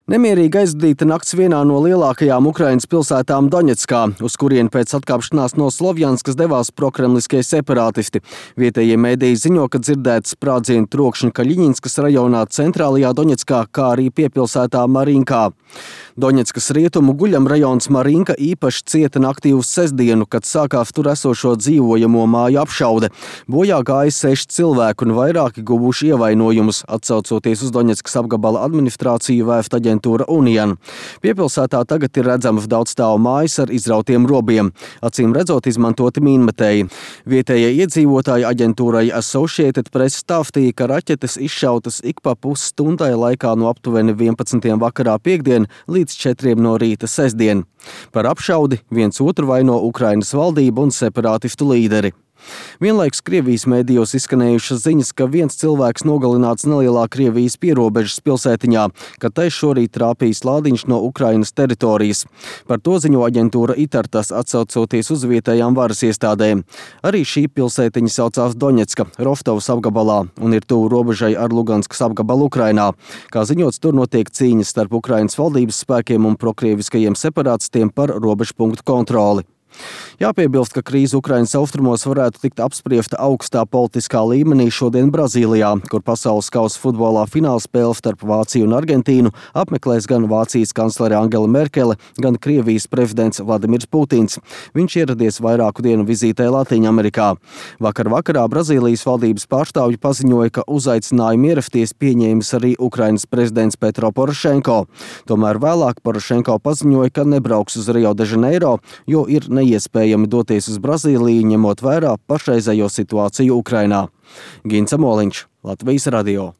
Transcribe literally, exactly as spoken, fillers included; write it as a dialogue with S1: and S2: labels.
S1: Nemierīgi aizdīta nakts vienā no lielākajām Ukrainas pilsētām Doņetskā, uz kurieni pēc atkāpšanās no Slovjanskas devās prokremliskie separātisti. Vietējie mediji ziņo, ka dzirdēts sprādzienu trokšņi Kaļiņinskas rajonā centrālajā Doņetskā, kā arī piepilsētā Marinkā. Doņetskas rietumu guļamrajons Marinka īpaši cieta naktī uz sestdienu, kad sākās tur esošo dzīvojamo māju apšaude. Bojā gāja seši cilvēki un vairāki guvuši ievainojumus, atsaucoties uz Doņetskas apgabala administrāciju vēft aģentūra Unian. Piepilsētā tagad ir redzamas daudzstāvu mājas ar izrautiem robiem, acīm redzot izmantoti mīnmetēji. Vietējie iedzīvotāji aģentūrai Associated Press stāstīja, ka raķetes izšautas ik pa pusstundai laikā no aptuveni vienpadsmitiem vakarā piekdien līdz četriem no rīta sestdien. Par apšaudi viens otru vaino Ukrainas valdība un separātistu līderi. Vienlaikus Krievijas mēdījos izskanējušas ziņas, ka viens cilvēks nogalināts nelielā Krievijas pierobežas pilsētiņā, kad tai šorīt trāpījis lādiņš no Ukrainas teritorijas. Par to ziņo aģentūra Itartas, atsaucoties uz vietējām varas iestādēm. Arī šī pilsētiņa saucās Doņetska, Rostovas apgabalā un ir tuvu robežai ar Luganskas apgabalu Ukrainā. Kā ziņots, tur notiek cīņas starp Ukrainas valdības spēkiem un prokrieviskajiem separātistiem par robežpunktu kontroli. Jāpiebilst, ka krīze Ukrainas austrumos varētu tikt apspriesta augstā politiskā līmenī šodien Brazīlijā, kur pasaules kausa futbolā finālspēle starp Vāciju un Argentīnu apmeklēs gan Vācijas kanclere Angela Merkele, gan Krievijas prezidents Vladimirs Putins. Viņš ieradies vairāku dienu vizītē Latīņamerikā. Vakar vakarā Brazīlijas valdības pārstāvji paziņoja, ka uzaicinājumu ierasties pieņēmis arī Ukrainas prezidents Petro Porošenko. Tomēr vēlāk Porošenko paziņoja, ka nebrauks uz Rio de Janeiro, jo ir neiespējami doties uz Brazīliju, ņemot vērā pašreizējo situāciju Ukrainā. Gints Amoliņš, Latvijas radio.